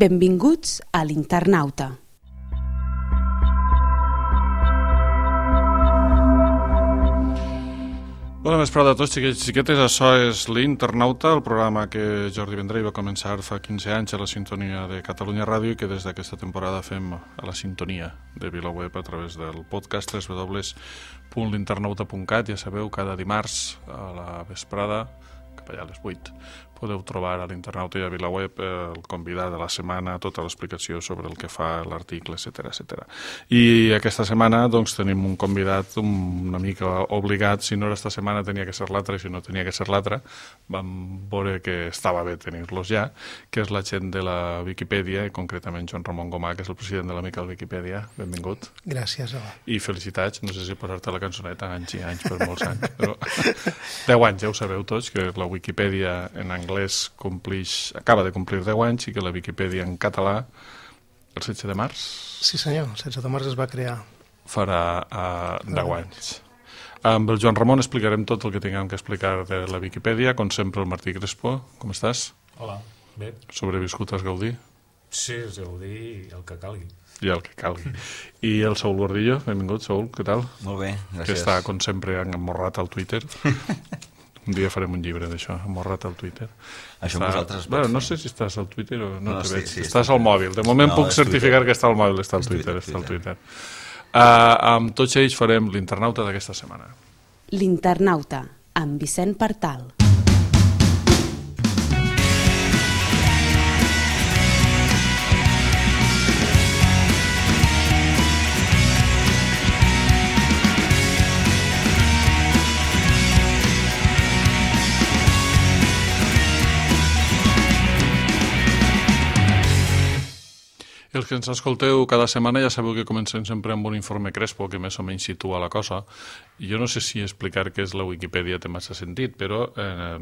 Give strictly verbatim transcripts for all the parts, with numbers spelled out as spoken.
Benvinguts a l'Internauta. Bona vesprada a tots, xiquets i xiquetes. Això és l'Internauta, el programa que Jordi Vendrell va començar fa quinze anys a la sintonia de Catalunya Ràdio i que des d'aquesta temporada fem a la sintonia de VilaWeb a través del podcast w w w punt l'internauta punt cat. Ja sabeu, cada dimarts a la vesprada, cap allà a les vuit, podeu trobar a l'Internauta i a VilaWeb el convidat de la setmana, tota l'explicació sobre el que fa l'article, etcètera, etcètera. I aquesta setmana doncs, tenim un convidat una mica obligat. Si no era esta setmana tenia que ser l'altra, i si no tenia que ser l'altra, vam veure que estava bé tenir-los ja, que és la gent de la Viquipèdia, i concretament Joan Ramon Gomà, que és el president de l'Amical Viquipèdia. Benvingut. Gràcies, hola. I felicitats, no sé si posar-te la cançoneta anys i anys per molts anys, però deu anys, ja ho sabeu tots, que la Viquipèdia en anglès complix, acaba de complir deu anys i que la Viquipèdia en català el setze de març... Sí senyor, el setze de març es va crear. Farà uh, deu anys. Amb el Joan Ramon explicarem tot el que tinguem que explicar de la Viquipèdia. Com sempre, el Martí Crespo. Com estàs? Hola, bé. Sobreviscut has Gaudí? Sí, és Gaudí i el que calgui. I el que calgui. I el Saúl Gordillo, benvingut, Saúl, què tal? Molt bé, gràcies. Que està, com sempre, emmorrat al Twitter. Un dia farem un llibre d'això, amorrat al Twitter. Això està... vosaltres... Bueno, no sé si estàs al Twitter o no, no te sí, veig. Sí, estàs al mòbil. De moment no, puc certificar Twitter. Que està al mòbil, està al Twitter. Twitter, està al Twitter. Uh, amb tots ells farem l'Internauta d'aquesta setmana. L'Internauta, amb Vicent Partal. Els que ens escolteu cada setmana ja sabeu que comencem sempre amb un informe Crespo que més o menys situa la cosa. I jo no sé si explicar què és la Viquipèdia té massa sentit, però eh,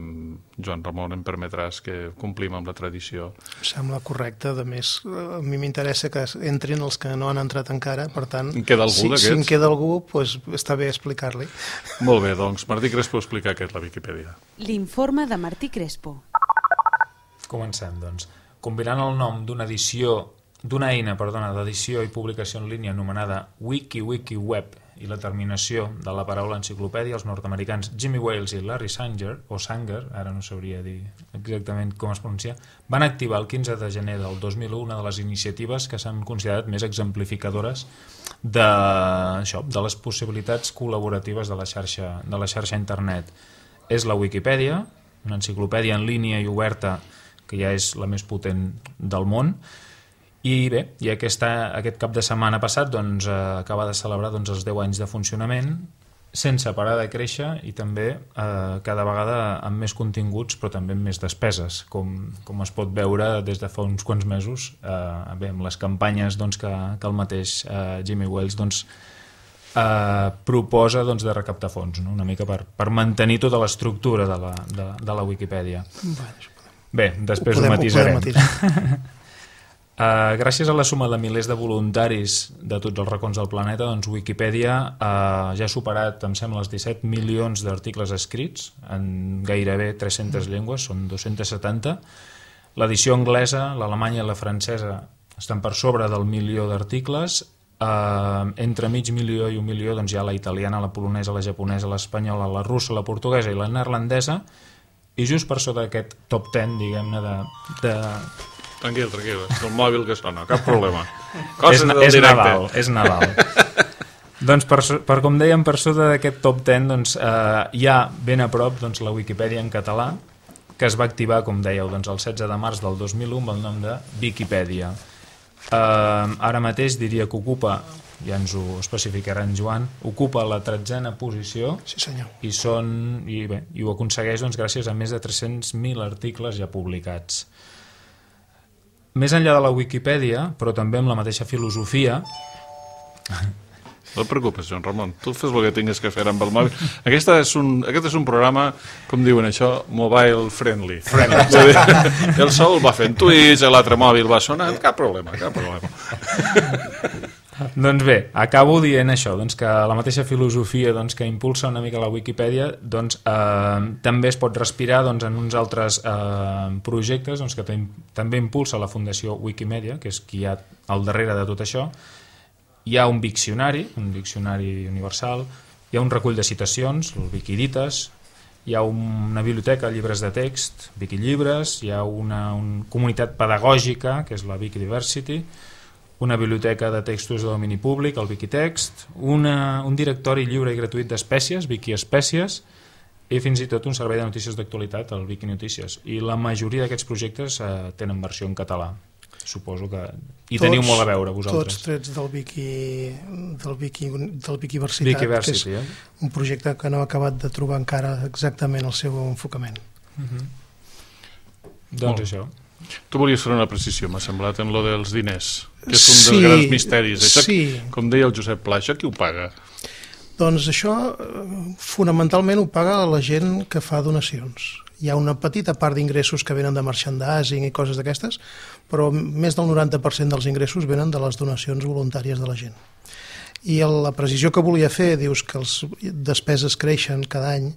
Joan Ramon, em permetràs que complim amb la tradició. Em sembla correcte. A més, a mi m'interessa que entrin els que no han entrat encara, per tant, en queda algú si, d'aquests? Si en queda algú, pues, està bé explicar-li. Molt bé, doncs Martí Crespo explica què és la Viquipèdia. L'informe de Martí Crespo. Comencem, doncs. Combinant el nom d'una edició d'una eina, perdona, d'edició i publicació en línia anomenada WikiWikiWeb i la terminació de la paraula enciclopèdia, els nord-americans Jimmy Wales i Larry Sanger, o Sanger, ara no sabria dir exactament com es pronuncia, van activar el quinze de gener del dos mil u una de les iniciatives que s'han considerat més exemplificadores de, això, de les possibilitats col·laboratives de la xarxa, de la xarxa internet. És la Wikipedia, una enciclopèdia en línia i oberta que ja és la més potent del món. I bé, i aquesta, aquest cap de setmana passat doncs, eh, acaba de celebrar doncs, els deu anys de funcionament sense parar de créixer i també eh, cada vegada amb més continguts però també amb més despeses, com, com es pot veure des de fa uns quants mesos eh, bé, amb les campanyes doncs, que, que el mateix eh, Jimmy Wales doncs, eh, proposa doncs, de recaptar fons, no? Una mica per, per mantenir tota l'estructura de la, de, de la Wikipedia. Bé, després ho, podem, ho matisarem. Ho podem Uh, gràcies a la suma de milers de voluntaris de tots els racons del planeta, doncs Wikipedia uh, ja ha superat, em sembla, els disset milions d'articles escrits en gairebé tres-centes llengües, són dos-centes setanta. L'edició anglesa, l'alemanya i la francesa estan per sobre del milió d'articles. Uh, entre mig milió i un milió doncs, hi ha la italiana, la polonesa, la japonesa, l'espanyola, la russa, la portuguesa i la neerlandesa, i just per sota d'aquest top ten, diguem-ne, de... de Tranquil, tranquil, és el mòbil que sona, cap problema. és, és Nadal, és Nadal. Doncs per, per com dèiem, per sota d'aquest top ten doncs, eh, hi ha ben a prop doncs, la Wikipedia en català, que es va activar, com dèieu, doncs, el setze de març del dos mil u amb el nom de Viquipèdia. Eh, ara mateix diria que ocupa, ja ens ho especificarà en Joan, ocupa la tretzena posició. Sí, senyor. I, són, i, bé, i ho aconsegueix doncs, gràcies a més de tres-cents mil articles ja publicats. Més enllà de la Wikipedia, però també amb la mateixa filosofia... No et preocupes, Joan Ramon, tu fes el que tingues que fer amb el mòbil. Aquesta és un, aquest és un programa, com diuen això, mobile friendly. friendly. El Saúl va fent tuits, l'altre mòbil va sonant, cap problema, cap problema. Doncs bé, acabo dient això, doncs que la mateixa filosofia doncs, que impulsa una mica la Wikipedia doncs, eh, també es pot respirar doncs, en uns altres eh, projectes doncs, que també impulsa la Fundació Wikimedia, que és qui hi ha al darrere de tot això. Hi ha un diccionari, un diccionari universal, hi ha un recull de citacions, el Wikiditas, hi ha una biblioteca de llibres de text, Wikilibres, hi ha una, una comunitat pedagògica, que és la Wikidiversity, una biblioteca de textos de domini públic, el Wikitext, una, un directori lliure i gratuït d'espècies, Wikiespècies, i fins i tot un servei de notícies d'actualitat, el Wikinotícies. I la majoria d'aquests projectes eh, tenen versió en català. Suposo que hi tots, teniu molt a veure, vosaltres. Tots trets del Wiki, del Wiki, del Wikiversitat, Wikiversity, que és eh? un projecte que no ha acabat de trobar encara exactament el seu enfocament. Uh-huh. Doncs oh. això. Tu volies fer una precisió, m'ha semblat, en lo dels diners, que és un sí, dels grans misteris. Això, sí. Com deia el Josep Pla, això qui ho paga? Doncs això fonamentalment ho paga la gent que fa donacions. Hi ha una petita part d'ingressos que venen de merchandising i coses d'aquestes, però més del noranta per cent dels ingressos venen de les donacions voluntàries de la gent. I la precisió que volia fer, dius que les despeses creixen cada any,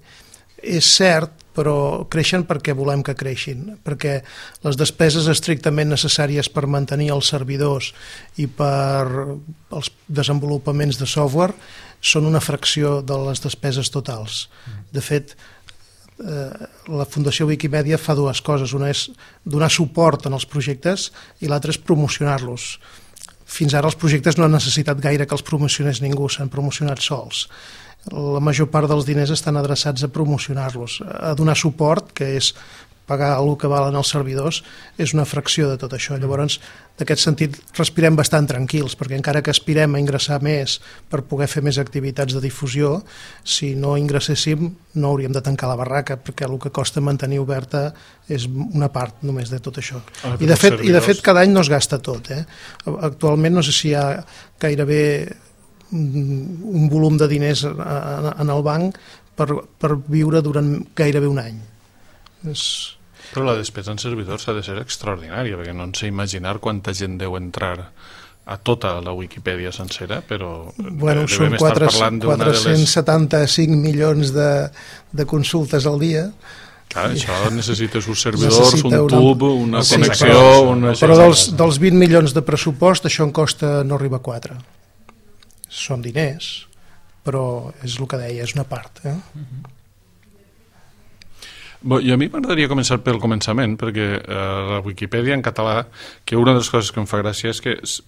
és cert, però creixen perquè volem que creixin, perquè les despeses estrictament necessàries per mantenir els servidors i per els desenvolupaments de software són una fracció de les despeses totals. De fet, eh, la Fundació Wikimedia fa dues coses. Una és donar suport en els projectes i l'altra és promocionar-los. Fins ara els projectes no han necessitat gaire que els promocionés ningú, s'han promocionat sols. La major part dels diners estan adreçats a promocionar-los, a donar suport, que és pagar el que valen els servidors, és una fracció de tot això. Llavors, d'aquest sentit, respirem bastant tranquils, perquè encara que aspirem a ingressar més per poder fer més activitats de difusió, si no ingresséssim no hauríem de tancar la barraca, perquè el que costa mantenir oberta és una part només de tot això. Ah, I de fet, i de fet cada any no es gasta tot. Eh? Actualment no sé si hi ha gairebé un volum de diners en el banc per, per viure durant gairebé un any. És... Però la despesa en servidors ha de ser extraordinària, perquè no ens sé imaginar quanta gent deu entrar a tota la Wikipedia sencera, però bueno, devem són estar parlant d'una de les... quatre-cents setanta-cinc milions de, de consultes al dia. Clar, això necessites uns servidors, Necessita un tub, una sí, connexió... Però, una... però dels, dels vint milions de pressupost això en costa no arriba a quatre. Són diners, però és el que deia, és una part. Eh? Bo, i a mi m'agradaria començar pel començament, perquè eh, la Wikipedia en català, que una de les coses que em fa gràcia és que és,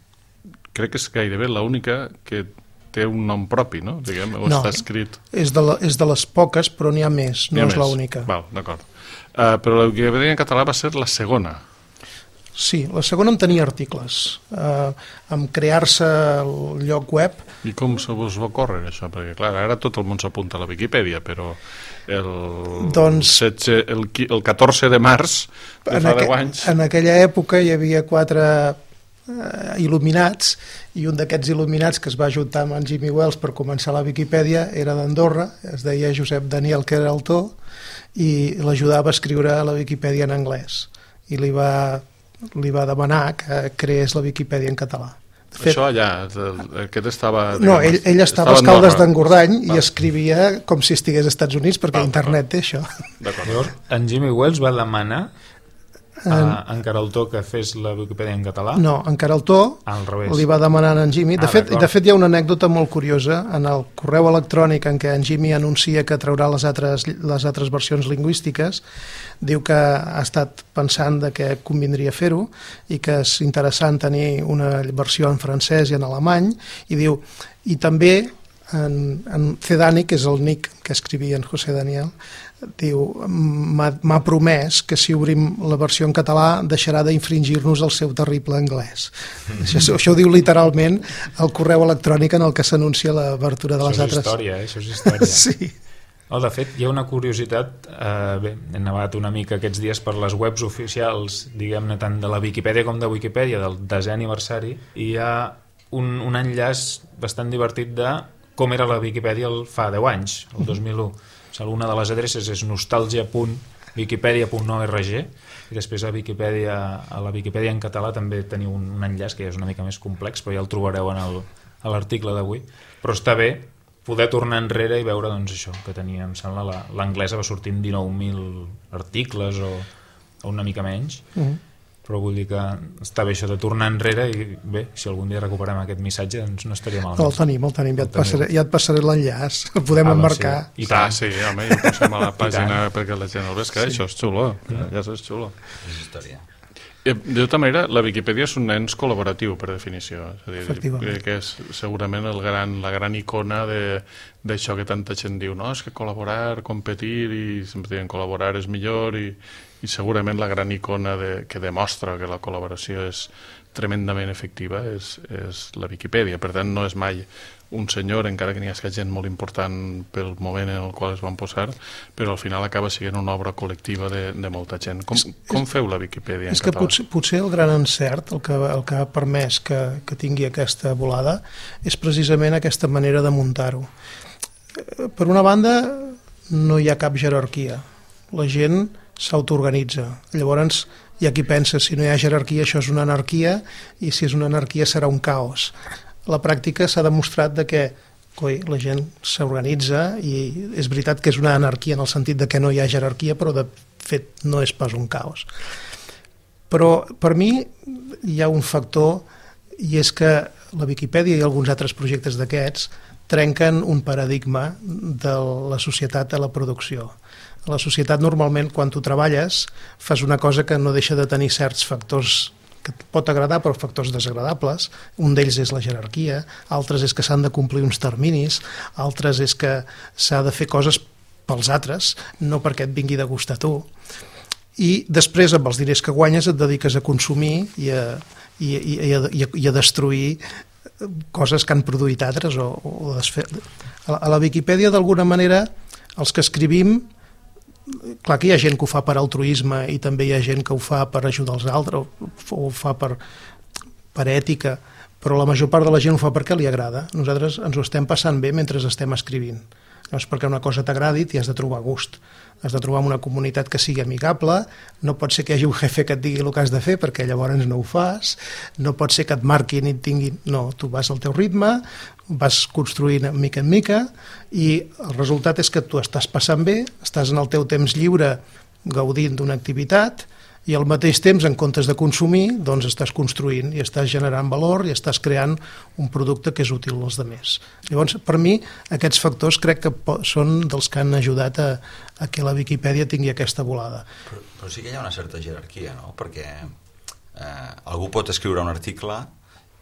crec que és gairebé l'única que té un nom propi, no? Diguem, o no, està escrit... És de, la, és de les poques, però n'hi ha més, no és l'única. Val, d'acord. Uh, però la Wikipedia en català va ser la segona. Sí, la segona en tenia articles. Eh, en crear-se el lloc web... I com se vos va córrer això? Perquè, clar, ara tot el món s'apunta a la Wikipedia, però el, doncs, setze, el, el catorze de març de fa deu anys... En aquella època hi havia quatre eh, il·luminats, i un d'aquests il·luminats que es va ajuntar amb en Jimmy Wales per començar la Wikipedia era d'Andorra, es deia Josep Daniel Queraltó, i l'ajudava a escriure la Wikipedia en anglès. I li va... li va demanar que creés la Wikipedia en català. De fet, això allà, aquest estava... Diguem, no, ell, ell estava, estava als Caldes d'Engordany i escrivia com si estigués als Estats Units, perquè val, internet té això. Llavors, en Jimmy Wales va demanar a en Queraltó que fes la Wikipedia en català? No, en Queraltó al revés. Li va demanar a en Jimmy. De, ah, fet, de fet, hi ha una anècdota molt curiosa en el correu electrònic en què en Jimmy anuncia que traurà les altres, les altres versions lingüístiques. Diu que ha estat pensant de que convindria fer-ho i que és interessant tenir una versió en francès i en alemany, i diu, i també en, en Cedani, que és el nick que escrivia en José Daniel, diu, m'ha promès que si obrim la versió en català deixarà d'infringir-nos el seu terrible anglès. Mm. Això, això ho diu literalment el correu electrònic en el que s'anuncia l'obertura de les altres. Això és història, eh? Això és història. Sí. Oh, de fet, hi ha una curiositat, eh, bé, he nevat una mica aquests dies per les webs oficials, diguem-ne, tant de la Viquipèdia com de Wikipedia, del desè aniversari, i hi ha un, un enllaç bastant divertit de com era la Viquipèdia el fa deu anys, el dos mil u. Una de les adreces és nostalgia punt wikipedia punt org i després a, Wikipedia, a la Viquipèdia en català també teniu un, un enllaç que és una mica més complex, però ja el trobareu en el, a l'article d'avui, però està bé poder tornar enrere i veure doncs, això que tenia, em sembla, l'anglesa va sortir amb dinou mil articles o, o una mica menys, mm-hmm. però vull dir que està bé això de tornar enrere i bé, si algun dia recuperem aquest missatge doncs no estaria malament. El tenim, el tenim, ja et passaré, ja et passaré l'enllaç, el podem ah, emmarcar. Sí. I ah, sí, home, ja ho posem a la pàgina perquè la gent el vés, que sí. Això és xulo, mm. ja és xulo. És història. De tota manera, la Viquipèdia és un ens col·laboratiu, per definició. És a dir, que és segurament el gran, la gran icona d'això que tanta gent diu, no, és que col·laborar, competir, i sempre diuen col·laborar és millor, i, i segurament la gran icona de, que demostra que la col·laboració és tremendament efectiva és, és la Viquipèdia. Per tant, no és mai un senyor, encara que n'hi hagi gent molt important pel moment en el qual es van posar, però al final acaba sent una obra col·lectiva de, de molta gent. Com, com feu la Viquipèdia en és català? És que potser, potser el gran encert, el que, el que ha permès que, que tingui aquesta volada, és precisament aquesta manera de muntar-ho. Per una banda, no hi ha cap jerarquia. La gent s'autoorganitza. Llavors, hi ha qui pensa, si no hi ha jerarquia, això és una anarquia, i si és una anarquia serà un caos. A la pràctica s'ha demostrat de que coi, la gent s'organitza i és veritat que és una anarquia en el sentit de que no hi ha jerarquia, però de fet no és pas un caos. Però per mi hi ha un factor, i és que la Viquipèdia i alguns altres projectes d'aquests trenquen un paradigma de la societat a la producció. A la societat normalment quan tu treballes fas una cosa que no deixa de tenir certs factors que pot agradar però factors desagradables. Un d'ells és la jerarquia, altres és que s'han de complir uns terminis, altres és que s'ha de fer coses pels altres, no perquè et vingui de gust a tu. I després amb els diners que guanyes et dediques a consumir i a, i, i, i a, i a, i a destruir coses que han produït altres o, o desfer... a, a la Viquipèdia d'alguna manera els que escrivim, clar que hi ha gent que ho fa per altruisme i també hi ha gent que ho fa per ajudar els altres o ho fa per, per ètica, però la major part de la gent ho fa perquè li agrada. Nosaltres ens ho estem passant bé mentre estem escrivint. No és perquè una cosa t'agradi, t'hi has de trobar gust. Has de trobar una comunitat que sigui amigable, no pot ser que hi hagi un jefe que et digui el que has de fer perquè llavors no ho fas, no pot ser que et marquin i et tinguin... No, tu vas al teu ritme, vas construint mica en mica i el resultat és que tu estàs passant bé, estàs en el teu temps lliure gaudint d'una activitat i al mateix temps, en comptes de consumir, doncs estàs construint i estàs generant valor i estàs creant un producte que és útil als altres. Llavors, per mi, aquests factors crec que són dels que han ajudat a, a que la Viquipèdia tingui aquesta volada. Però, però sí que hi ha una certa jerarquia, no? Perquè eh, algú pot escriure un article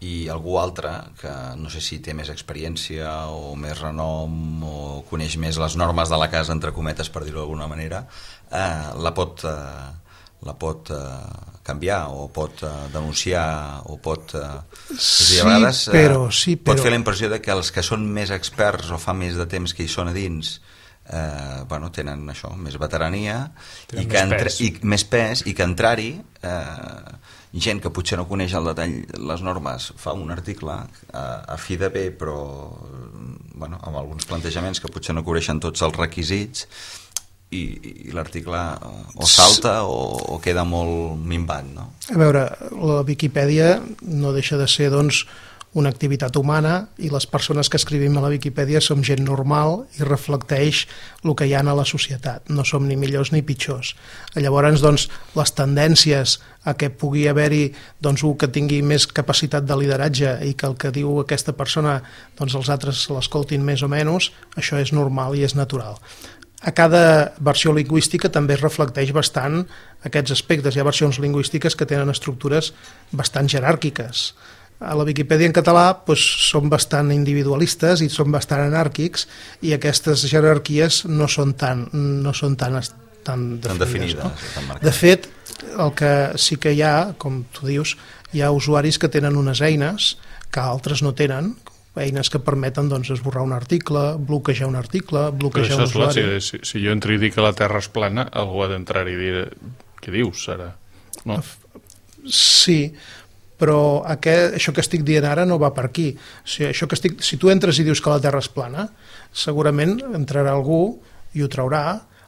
i algú altre, que no sé si té més experiència o més renom o coneix més les normes de la casa, entre cometes, per dir-ho d'alguna manera, eh, la pot... Eh, la pot eh, canviar o pot eh, denunciar o pot... Eh, sí, a vegades, eh, però, sí, però... pot fer la impressió de que els que són més experts o fa més de temps que hi són a dins eh, bueno, tenen això, més veterania tenen i, que més entra... i més pes i que entrar-hi eh, gent que potser no coneix el detall les normes fa un article eh, a fi de bé però bueno, amb alguns plantejaments que potser no cobreixen tots els requisits i, i l'article o salta o, o queda molt minvat, no? A veure, la Viquipèdia no deixa de ser, doncs, una activitat humana i les persones que escrivim a la Viquipèdia som gent normal i reflecteix el que hi ha a la societat. No som ni millors ni pitjors. Llavors, doncs, les tendències a que pugui haver-hi doncs, un que tingui més capacitat de lideratge i que el que diu aquesta persona doncs, els altres l'escoltin més o menys, això és normal i és natural. A cada versió lingüística també es reflecteix bastant aquests aspectes. Hi ha versions lingüístiques que tenen estructures bastant jeràrquiques. A la Viquipèdia en català doncs, són bastant individualistes i són bastant anàrquics i aquestes jerarquies no són tan, no són tan, tan definides. No? Tan de fet, el que sí que hi ha, com tu dius, hi ha usuaris que tenen unes eines que altres no tenen, eines que permeten doncs, esborrar un article, bloquejar un article, bloquejar un usuari. Clar, si, si jo entro i dic que la Terra és plana, algú ha d'entrar i dir què dius ara? No? Sí, però aquest, això que estic dient ara no va per aquí. O sigui, això que estic, si tu entres i dius que la Terra és plana, segurament entrarà algú i ho traurà,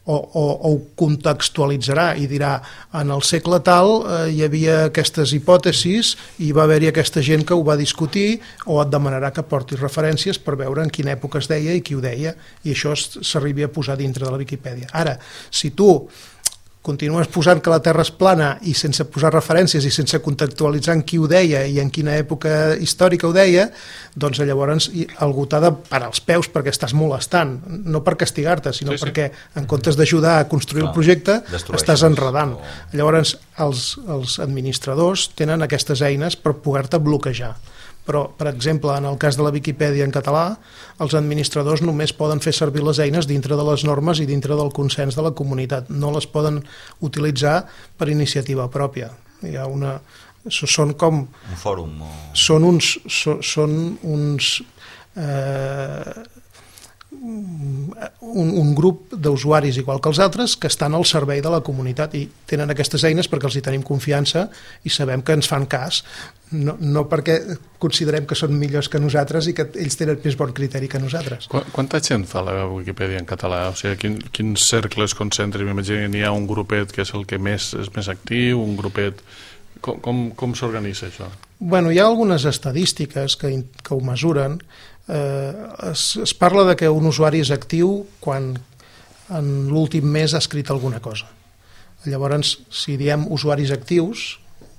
o, o, o ho contextualitzarà i dirà en el segle tal eh, hi havia aquestes hipòtesis i va haver-hi aquesta gent que ho va discutir, o et demanarà que portis referències per veure en quina època es deia i qui ho deia, i això s'arribi a posar dintre de la Viquipèdia. Ara, si tu continues posant que la Terra és plana i sense posar referències i sense contextualitzar en qui ho deia i en quina època històrica ho deia, doncs llavors algú t'ha de parar els peus perquè estàs molestant, no per castigar-te, sinó sí, sí. perquè en comptes d'ajudar a construir Clar, el projecte, estàs enredant. O... Llavors els, els administradors tenen aquestes eines per poder-te bloquejar. Però, per exemple, en el cas de la Viquipèdia en català, els administradors només poden fer servir les eines dintre de les normes i dintre del consens de la comunitat. No les poden utilitzar per iniciativa pròpia. Hi ha una... Són com... Un fòrum o... Són uns... Són, són uns eh, un, un grup d'usuaris igual que els altres que estan al servei de la comunitat i tenen aquestes eines perquè els hi tenim confiança i sabem que ens fan cas, no, no perquè considerem que són millors que nosaltres i que ells tenen més bon criteri que nosaltres. Qu Quanta gent fa la Wikipedia en català? O sigui, quin, quins cercles concentra? M'imagino que n'hi ha un grupet que és el que més és més actiu, un grupet... Com, com, com s'organitza això? Bueno, hi ha algunes estadístiques que, que ho mesuren. Eh, es, es parla de que un usuari és actiu quan en l'últim mes ha escrit alguna cosa. Llavors, si diem usuaris actius,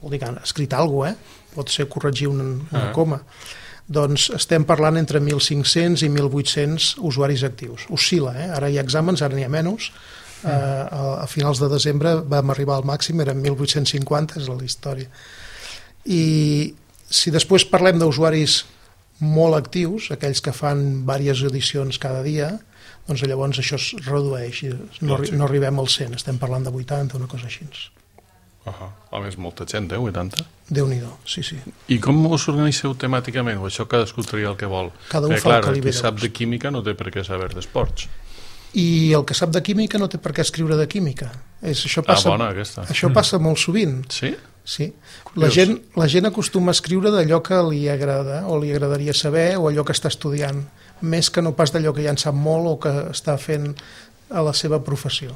vol dir que ha escrit alguna cosa, eh? Pot ser corregir una, una ah. coma, doncs estem parlant entre mil cinc-cents i mil vuit-cents usuaris actius. Oscil·la, eh? Ara hi ha exàmens, ara n'hi ha menys. Uh, a, a finals de desembre vam arribar al màxim, eren mil vuit-cents cinquanta, és la història. I si després parlem d'usuaris molt actius, aquells que fan diverses edicions cada dia, doncs llavors això es redueix, no, no arribem al cent, estem parlant de vuitanta, una cosa així. Uh -huh. A més, molta gent, eh? vuitanta? Déu-n'hi-do, sí, sí. I com us organitzeu temàticament? O això cadascú tria el que vol? Cada un Perquè, fa clar, el que li ve qui sap de química no té per què saber d'esports. I el que sap de química no té per què escriure de química. És, això passa, ah, bona, aquesta. Això passa molt sovint. Sí? Sí. La gent, la gent acostuma a escriure d'allò que li agrada o li agradaria saber o allò que està estudiant, més que no pas d'allò que ja en sap molt o que està fent a la seva professió.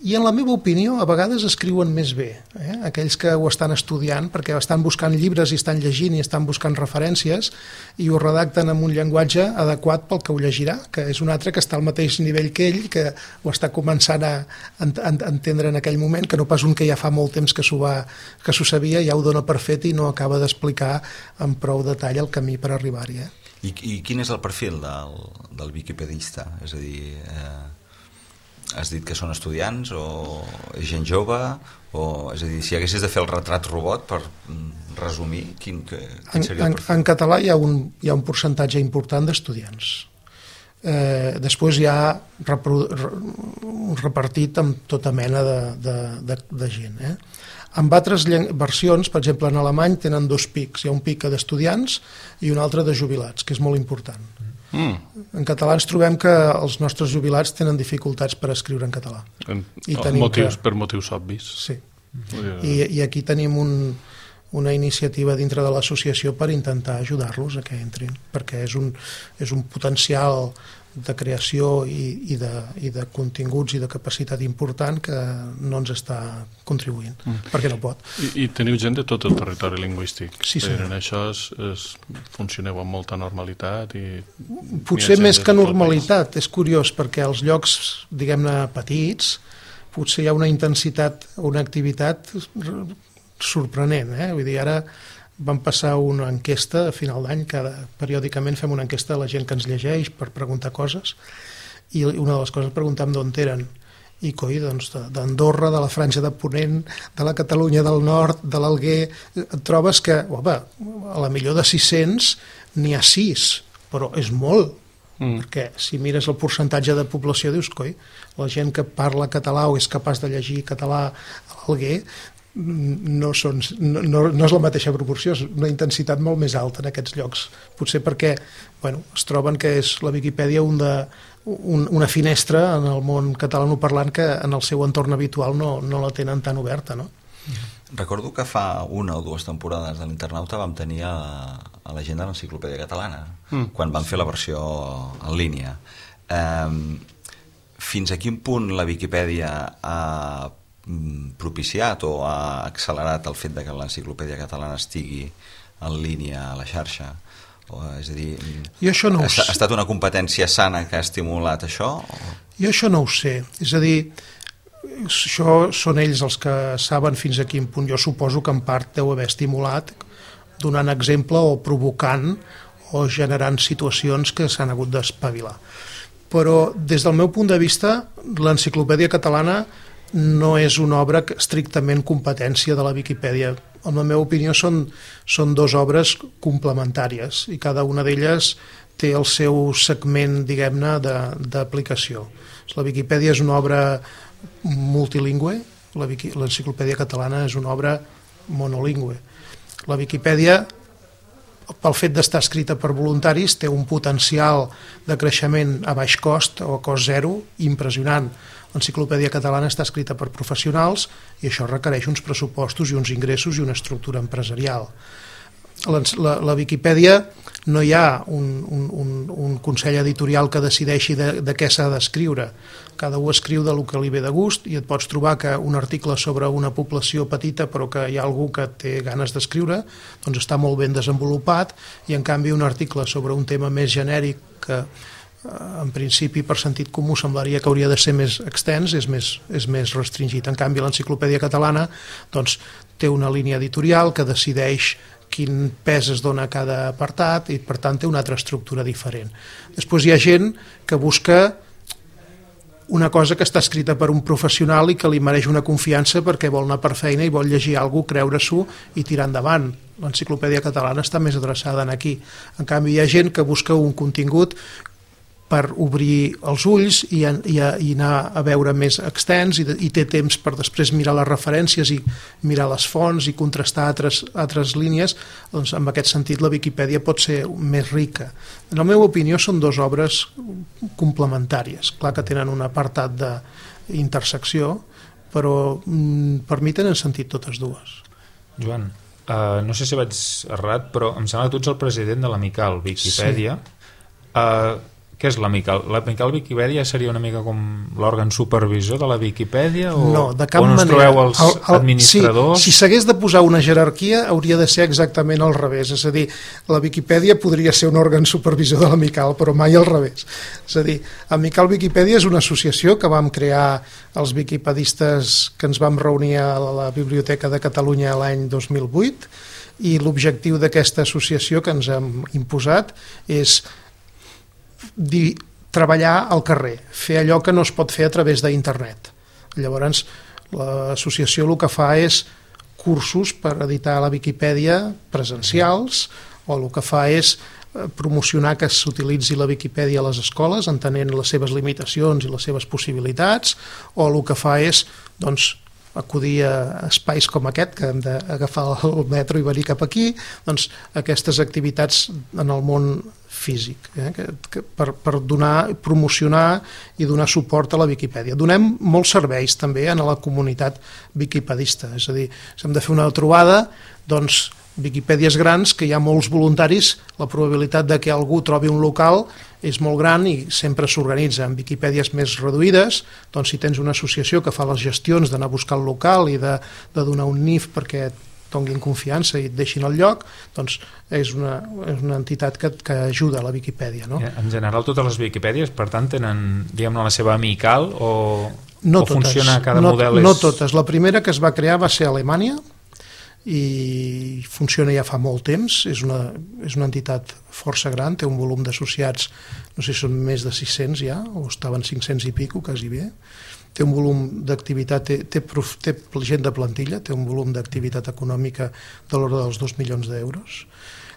I en la meva opinió a vegades escriuen més bé, eh? Aquells que ho estan estudiant perquè estan buscant llibres i estan llegint i estan buscant referències i ho redacten amb un llenguatge adequat pel que ho llegirà, que és un altre que està al mateix nivell que ell, que ho està començant a entendre en aquell moment, que no pas un que ja fa molt temps que s'ho va, que s'ho sabia, ja ho dona per fet i no acaba d'explicar amb prou detall el camí per arribar-hi. Eh? I, I quin és el perfil del, del wikipedista? És a dir... Eh... Has dit que són estudiants o gent jove? O, és a dir, si haguessis de fer el retrat robot per resumir, quin, quin seria el perfil? En, en català hi ha un, hi ha un percentatge important d'estudiants. Eh, després hi ha repartit amb tota mena de, de, de, de gent. Eh? En altres versions, per exemple en alemany, tenen dos pics. Hi ha un pic d'estudiants i un altre de jubilats, que és molt important. Mm. En català ens trobem que els nostres jubilats tenen dificultats per escriure en català. En, I motius, que, per motius obvis. Sí. I, i aquí tenim un, una iniciativa dintre de l'associació per intentar ajudar-los a que entrin, perquè és un, és un potencial de creació i, i, de, i de continguts i de capacitat important que no ens està contribuint, mm. perquè no pot. I, I teniu gent de tot el territori lingüístic. Sí, sí. En això es, es, funcioneu amb molta normalitat i... Potser més que normalitat, és curiós, perquè als llocs, diguem-ne, petits, potser hi ha una intensitat, una activitat sorprenent, eh? Vull dir, ara vam passar una enquesta a final d'any, cada periòdicament fem una enquesta a la gent que ens llegeix per preguntar coses, i una de les coses preguntàvem d'on eren, i coi, doncs d'Andorra, de la Franja de Ponent, de la Catalunya del Nord, de l'Alguer, et trobes que, home, a la millor de sis-cents n'hi ha sis, però és molt, mm. perquè si mires el percentatge de població dius, coi, la gent que parla català o és capaç de llegir català a l'Alguer, no, són, no, no és la mateixa proporció, és una intensitat molt més alta en aquests llocs, potser perquè bueno, es troben que és la Viquipèdia un de, un, una finestra en el món catalanoparlant que en el seu entorn habitual no, no la tenen tan oberta, no? Recordo que fa una o dues temporades de l'Internauta vam tenir a, a la gent de l'Enciclopèdia Catalana, mm. quan vam fer la versió en línia. Um, fins a quin punt la Viquipèdia ha propiciat o ha accelerat el fet de que l'enciclopèdia catalana estigui en línia a la xarxa? O, és a dir, jo això no ha, ha estat una competència sana que ha estimulat això? O... Jo això no ho sé. És a dir, això són ells els que saben fins a quin punt. Jo suposo que en part deu haver estimulat donant exemple o provocant o generant situacions que s'han hagut d'espavilar. Però des del meu punt de vista l'enciclopèdia catalana no és una obra estrictament competència de la Viquipèdia. En la meva opinió són, són dues obres complementàries i cada una d'elles té el seu segment, diguem-ne, d'aplicació. La Viquipèdia és una obra multilingüe, l'enciclopèdia catalana és una obra monolingüe. La Viquipèdia, pel fet d'estar escrita per voluntaris, té un potencial de creixement a baix cost o a cost zero impressionant. L'enciclopèdia catalana està escrita per professionals i això requereix uns pressupostos i uns ingressos i una estructura empresarial. La, la, la Viquipèdia no hi ha un, un, un, un consell editorial que decideixi de, de què s'ha d'escriure. Cada un escriu del que li ve de gust i et pots trobar que un article sobre una població petita però que hi ha algú que té ganes d'escriure doncs està molt ben desenvolupat i en canvi un article sobre un tema més genèric que en principi per sentit comú semblaria que hauria de ser més extens, és més, és més restringit. En canvi l'enciclopèdia catalana doncs, té una línia editorial que decideix quin pes es dona a cada apartat i per tant té una altra estructura diferent. Després hi ha gent que busca una cosa que està escrita per un professional i que li mereix una confiança perquè vol anar per feina i vol llegir alguna cosa, creure-s'ho i tirar endavant. L'enciclopèdia catalana està més adreçada en aquí. En canvi hi ha gent que busca un contingut per obrir els ulls i, i, i anar a veure més extens i, i té temps per després mirar les referències i mirar les fonts i contrastar altres, altres línies, doncs en aquest sentit la Viquipèdia pot ser més rica. En la meva opinió són dues obres complementàries, clar que tenen un apartat d'intersecció, però mm, per mi tenen sentit totes dues. Joan, uh, no sé si vaig errat, però em sembla que tu ets el president de l'Amical Viquipèdia. Sí. Uh, Què és l'Amical? L'Amical Viquipèdia seria una mica com l'òrgan supervisor de la Viquipèdia? O, no, de cap on manera. On us trobeu els el, el, administradors? Sí, si s'hagués de posar una jerarquia hauria de ser exactament al revés. És a dir, la Viquipèdia podria ser un òrgan supervisor de l'Amical, però mai al revés. És a dir, Amical Viquipèdia és una associació que vam crear els viquipedistes que ens vam reunir a la Biblioteca de Catalunya l'any dos mil vuit i l'objectiu d'aquesta associació que ens hem imposat és Dir, treballar al carrer, fer allò que no es pot fer a través d'internet. Llavors l'associació el que fa és cursos per editar la Viquipèdia presencials o el que fa és promocionar que s'utilitzi la Viquipèdia a les escoles entenent les seves limitacions i les seves possibilitats, o el que fa és doncs, acudir a espais com aquest, que hem d'agafar el metro i venir cap aquí, doncs aquestes activitats en el món físic, eh, que, que per, per donar, promocionar i donar suport a la Viquipèdia. Donem molts serveis també a la comunitat viquipedista, és a dir, si hem de fer una trobada, doncs Viquipèdies grans, que hi ha molts voluntaris, la probabilitat de que algú trobi un local és molt gran i sempre s'organitza. En Viquipèdies més reduïdes, doncs si tens una associació que fa les gestions d'anar a buscar el local i de, de donar un N I F perquè et donin confiança i et deixin el lloc, doncs és una, és una entitat que, que ajuda a la Viquipèdia. No? En general totes les Viquipèdies, per tant, tenen diguem-ne la seva amical o, no o totes, funciona cada no, model? No és... totes. La primera que es va crear va ser a Alemanya, i funciona ja fa molt temps, és una, és una entitat força gran, té un volum d'associats, no sé si són més de sis-cents ja, o estaven cinc-cents i pico, quasi bé, té un volum d'activitat, té, té, té gent de plantilla, té un volum d'activitat econòmica de l'ordre dels dos milions d'euros,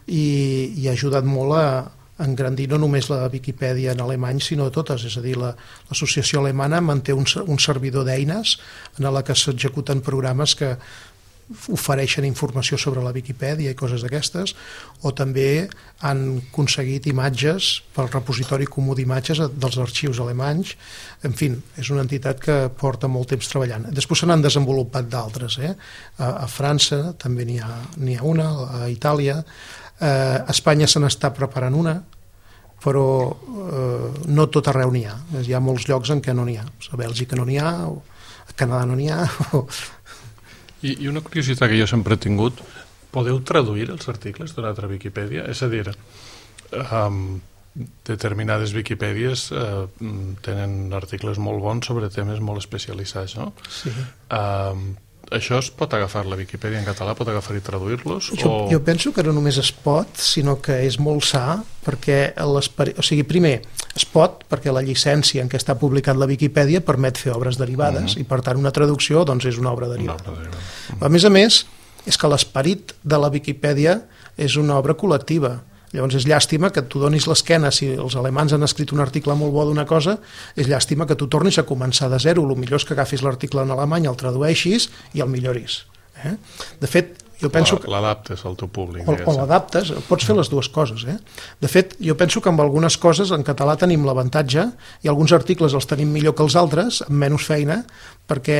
i, i ha ajudat molt a engrandir no només la Viquipèdia en alemany, sinó totes, és a dir, l'associació alemana manté un, un servidor d'eines en la que s'executen programes que ofereixen informació sobre la Viquipèdia i coses d'aquestes, o també han aconseguit imatges pel repositori comú d'imatges dels arxius alemanys. En fi, és una entitat que porta molt temps treballant. Després se n'han desenvolupat d'altres, eh? a, a França també n'hi ha, n'hi ha una, a Itàlia, eh, a Espanya se n'està preparant una, però eh, no tot arreu n'hi ha. Hi ha molts llocs en què no n'hi ha. A Bèlgica no n'hi ha, o a Canadà no n'hi ha. O... I, I una curiositat que jo sempre he tingut, podeu traduir els articles d'una altra Viquipèdia? És a dir, um, determinades Viquipèdies uh, tenen articles molt bons sobre temes molt especialitzats, no? Sí. Um, això es pot agafar, la Viquipèdia en català, pot agafar i traduir-los? Jo, o... jo penso que no només es pot, sinó que és molt sa, perquè o sigui, primer, es pot perquè la llicència en què està publicat la Viquipèdia permet fer obres derivades, uh-huh. i per tant una traducció doncs, és una obra derivada. Una obra derivada. Uh-huh. A més a més, és que l'esperit de la Viquipèdia és una obra col·lectiva. Llavors és llàstima que tu donis l'esquena, si els alemans han escrit un article molt bo d'una cosa, és llàstima que tu tornis a començar de zero. El millor és que agafis l'article en alemany, el tradueixis i el milloris. Eh? De fet, jo penso que... L'adaptes al teu públic. O, o l'adaptes, pots fer les dues coses. Eh? De fet, jo penso que amb algunes coses en català tenim l'avantatge i alguns articles els tenim millor que els altres, amb menys feina, perquè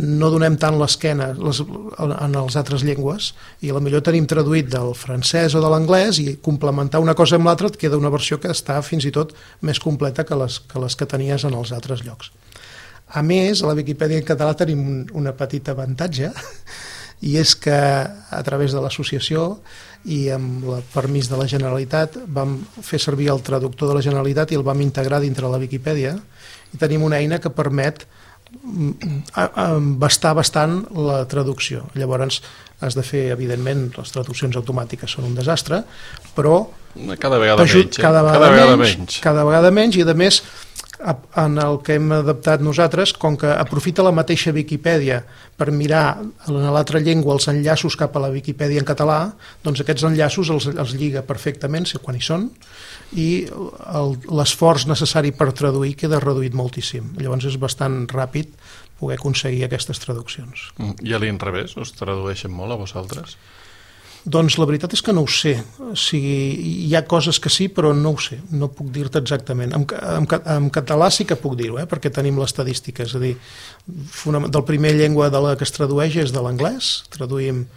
no donem tant l'esquena en les altres llengües i potser tenim traduït del francès o de l'anglès i complementar una cosa amb l'altra et queda una versió que està fins i tot més completa que les que, les que tenies en els altres llocs. A més, a la Viquipèdia en català tenim un, una petita avantatge, i és que a través de l'associació i amb el permís de la Generalitat vam fer servir el traductor de la Generalitat i el vam integrar dintre la Viquipèdia i tenim una eina que permet bastar bastant la traducció. Llavors has de fer, evidentment, les traduccions automàtiques són un desastre, però cada vegada menys, cada vegada, cada vegada menys, menys cada vegada menys, i a més en el que hem adaptat nosaltres, com que aprofita la mateixa Viquipèdia per mirar en l'altra llengua els enllaços cap a la Viquipèdia en català, doncs aquests enllaços els, els lliga perfectament, sé quan hi són, i l'esforç necessari per traduir queda reduït moltíssim. Llavors és bastant ràpid poder aconseguir aquestes traduccions. I a l'inrevés, us tradueixen molt a vosaltres? Doncs la veritat és que no ho sé. O sigui, hi ha coses que sí, però no ho sé. No puc dir-te exactament. En, en, en català sí que puc dir-ho, eh? Perquè tenim l'estadística. És a dir, del primer llengua de la que es tradueix és de l'anglès. Traduïm...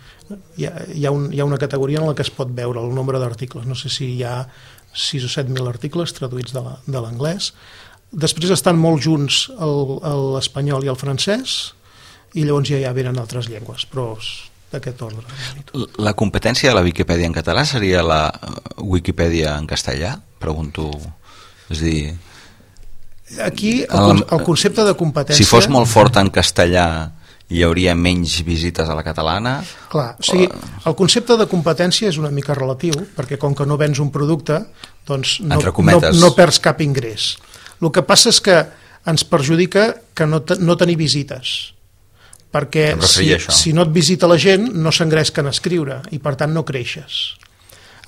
Hi ha, hi, ha un, hi ha una categoria en la que es pot veure el nombre d'articles. No sé si hi ha sis o set mil articles traduïts de l'anglès. Després estan molt junts l'espanyol i el francès, i llavors ja, ja venen altres llengües, però... d'aquest ordre. La competència de la Viquipèdia en català seria la Wikipedia en castellà? Pregunto. És a dir... Aquí el, el concepte de competència... Si fos molt fort en castellà hi hauria menys visites a la catalana? Clar, o sigui, el concepte de competència és una mica relatiu, perquè com que no vens un producte, doncs no, no, no perds cap ingrés. El que passa és que ens perjudica que no, te, no tenir visites, perquè si, si no et visita la gent no s'engresquen a escriure i per tant no creixes.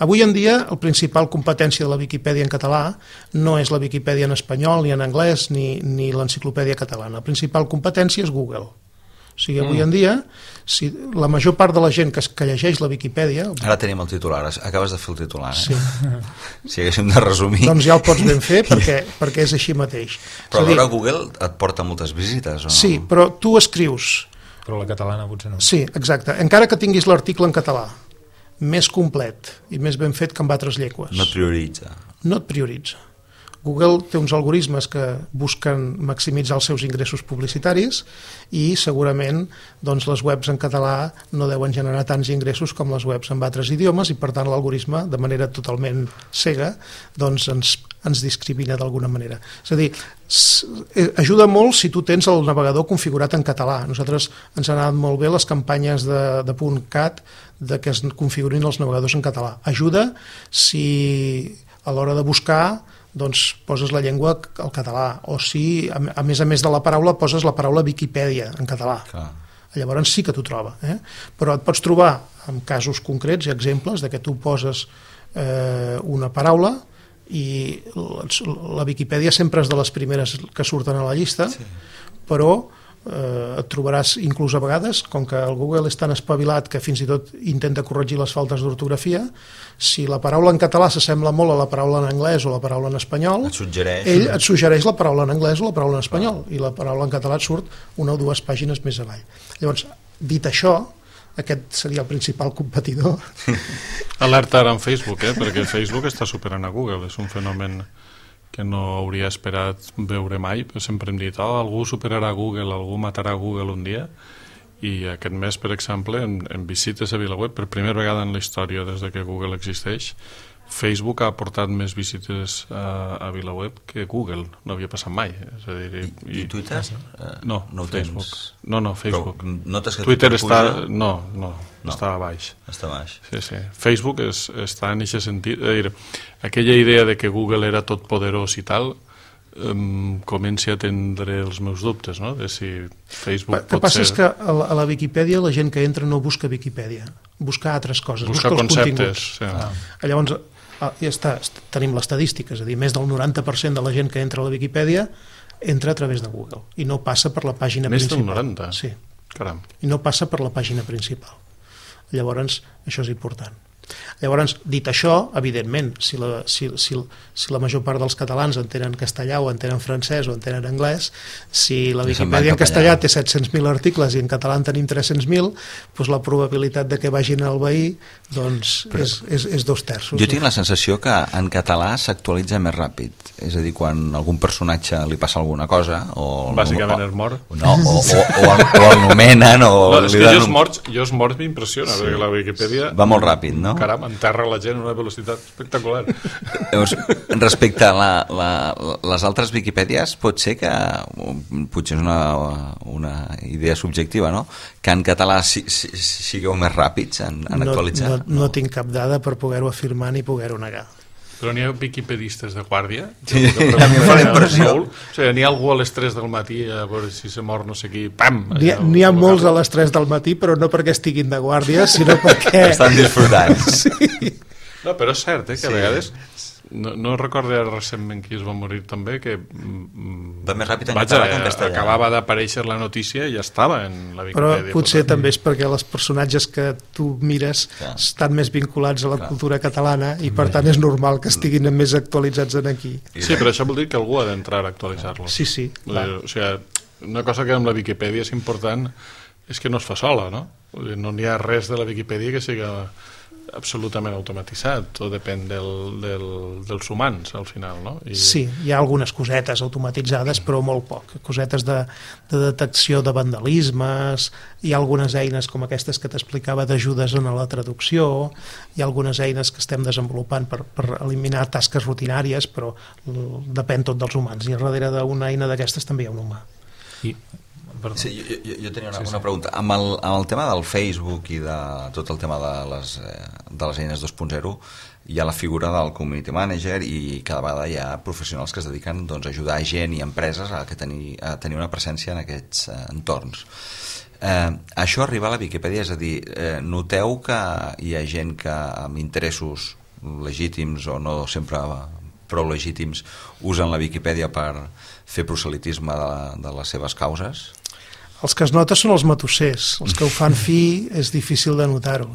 Avui en dia la principal competència de la Viquipèdia en català no és la Viquipèdia en espanyol ni en anglès ni, ni l'enciclopèdia catalana. La principal competència és Google. O sigui, avui en dia si la major part de la gent que, que llegeix la Viquipèdia... Ara tenim el titular, acabes de fer el titular, eh? Sí. Si haguéssim de resumir... Doncs ja el pots ben fer perquè, perquè és així mateix. Però alhora Google et porta moltes visites, o no? Sí, però tu escrius... Però la catalana potser no. Sí, exacte. Encara que tinguis l'article en català, més complet i més ben fet que en altres llengües. No et prioritza. No et prioritza. Google té uns algoritmes que busquen maximitzar els seus ingressos publicitaris i segurament doncs, les webs en català no deuen generar tants ingressos com les webs en altres idiomes i per tant l'algoritme de manera totalment cega doncs, ens, ens discrimina d'alguna manera. És a dir, ajuda molt si tu tens el navegador configurat en català. Nosaltres ens han anat molt bé les campanyes de, de .cat de que es configurin els navegadors en català. Ajuda si a l'hora de buscar doncs poses la llengua al català o si a més a més de la paraula poses la paraula Viquipèdia en català. Clar. Llavors sí que t'ho troba, eh? Però et pots trobar en casos concrets i exemples de que tu poses eh, una paraula i la Viquipèdia sempre és de les primeres que surten a la llista, sí. Però eh, et trobaràs inclús a vegades, com que el Google és tan espavilat que fins i tot intenta corregir les faltes d'ortografia, si la paraula en català s'assembla molt a la paraula en anglès o la paraula en espanyol, et suggereix, ell et suggereix la paraula en anglès o la paraula en espanyol, i la paraula en català et surt una o dues pàgines més avall. Llavors, dit això, aquest seria el principal competidor. Alerta ara en Facebook, eh? Perquè Facebook està superant a Google, és un fenomen que no hauria esperat veure mai, però sempre hem dit, oh, algú superarà Google, algú matarà Google un dia, i aquest mes, per exemple, en, en visites a VilaWeb, per primera vegada en la història des de que Google existeix, Facebook ha portat més visites a, a VilaWeb que Google, no havia passat mai. És a dir, i, i, I Twitter? No, no Facebook. Tens... No, no, Facebook. Però notes que Twitter, Twitter està... puja? No, no, no, està a baix. Està a baix. Sí, sí. Facebook és, està en aquest sentit. És a dir, aquella idea de que Google era tot poderós i tal, um, comenci a tindre els meus dubtes, no? De si Facebook el que pot passa ser... és que a la, a la Viquipèdia la gent que entra no busca Viquipèdia, busca altres coses, busca, busca els conceptes. continguts. Sí. Ah. Llavors, ah, ja està, tenim l'estadística, és a dir, més del noranta per cent de la gent que entra a la Viquipèdia entra a través de Google i no passa per la pàgina més principal. Més del noranta? Sí. Caram. I no passa per la pàgina principal. Llavors, això és important. Llavors, dit això, evidentment, si la, si, si, si la major part dels catalans entenen castellà o entenen francès o entenen anglès, si la Viquipèdia en castellà té set-cents mil articles i en català en tenim tres-cents mil, doncs la probabilitat de que vagin al veí doncs, Però, és, és, és dos terços. Jo tinc la sensació que en català s'actualitza més ràpid. És a dir, quan algun personatge li passa alguna cosa... O Bàsicament o, és mort. No, o, o, o, el, o el nomenen o... No, és que dan... jo els morts, jo els morts m'impressiona, sí. Perquè la Viquipèdia... Va molt ràpid, no? Caram, enterra la gent a una velocitat espectacular. Llavors, respecte a la, la, les altres Viquipèdies, pot ser que, potser és una, una idea subjectiva, no? Que en català si, si, sigueu més ràpids en, en no, actualitzar? No, no, no tinc cap dada per poder-ho afirmar ni poder-ho negar. Però n'hi ha viquipedistes de guàrdia? Sí, a mi em fa la impressió. O sigui, n'hi ha algú a les tres del matí a veure si se mor no sé qui, pam! N'hi ha, n'hi ha molts a les tres del matí, però no perquè estiguin de guàrdia, sinó perquè... Estan disfrutant. Sí. No, però és cert, eh, que sí. A vegades... No, no recordo recentment qui es va morir també, que va més ràpid en vaja, català que en castellà. Acabava d'aparèixer la notícia i ja estava en la Viquipèdia. Però potser també és perquè els personatges que tu mires Clar. estan més vinculats a la Clar. cultura catalana i per tant és normal que estiguin més actualitzats en aquí. Sí, però això vol dir que algú ha d'entrar a actualitzar-los. Sí, sí. O sigui, una cosa que amb la Viquipèdia és important és que no es fa sola, no? No n'hi ha res de la Viquipèdia que siga absolutament automatitzat, tot depèn del, del, dels humans al final, no? I... Sí, hi ha algunes cosetes automatitzades, però molt poc, cosetes de, de detecció de vandalismes, hi ha algunes eines com aquestes que t'explicava d'ajudes en la traducció, hi ha algunes eines que estem desenvolupant per, per eliminar tasques rutinàries, però depèn tot dels humans, i darrere d'una eina d'aquestes també hi ha un humà. I Sí, jo, jo, jo tenia una, sí, sí. una pregunta. Amb el, amb el tema del Facebook i de tot el tema de les, de les eines dos punt zero, hi ha la figura del community manager i cada vegada hi ha professionals que es dediquen doncs, a ajudar gent i empreses a, que tenir, a tenir una presència en aquests eh, entorns. Eh, això arriba a la Viquipèdia, és a dir, eh, noteu que hi ha gent que amb interessos legítims o no sempre prou legítims usen la Viquipèdia per fer proselitisme de, de les seves causes? Els que es nota són els matossers, els que ho fan fi és difícil de notar-ho.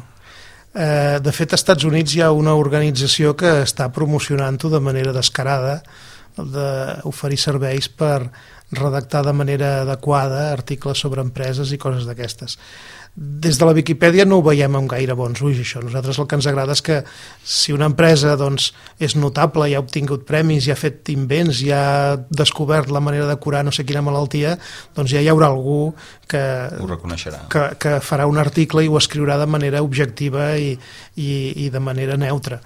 Eh, de fet, als Estats Units hi ha una organització que està promocionant-ho de manera descarada, d'oferir serveis per redactar de manera adequada articles sobre empreses i coses d'aquestes. Des de la Viquipèdia no ho veiem amb gaire bons ulls, això. Nosaltres el que ens agrada és que si una empresa doncs, és notable, ja ha obtingut premis, ja ha fet invents, ja ha descobert la manera de curar no sé quina malaltia, doncs ja hi haurà algú que, ho reconeixerà. que, que farà un article i ho escriurà de manera objectiva i, i, i de manera neutra.